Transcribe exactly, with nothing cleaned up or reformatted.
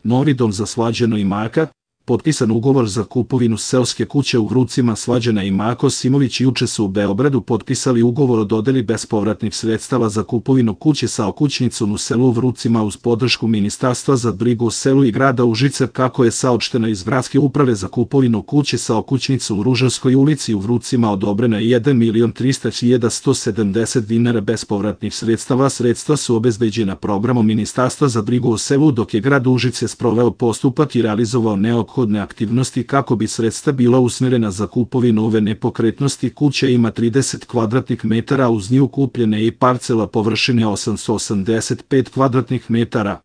Novi dom za Slađana i Marka, potpisan ugovor za kupovinu seoske kuće u Vrucima. Slađana i Marko Simović juče su u Beogradu potpisali ugovor o dodeli bespovratnih sredstava za kupovinu kuće sa okućnicom u selu Vrucima uz podršku Ministarstva za brigu o selu i grada Užice, kako je saopšteno iz Gradske uprave za kupovinu kuće sa okućnicom u Ružarskoj ulici u Vrucima. Odobrena je jedan milion trista hiljada sto sedamdeset dinara bespovratnih sredstava. Sredstva su obezbeđena programom Ministarstva za brigu o selu, dok je grad Užice sproveo postupak i realizovao neophodne aktivnosti kako bi sredstva bila usmjerena za kupovinu ove nepokretnosti. Kuća ima trideset kvadratnih metara, uz nju kupljene i parcela površine osamsto osamdeset pet kvadratnih metara.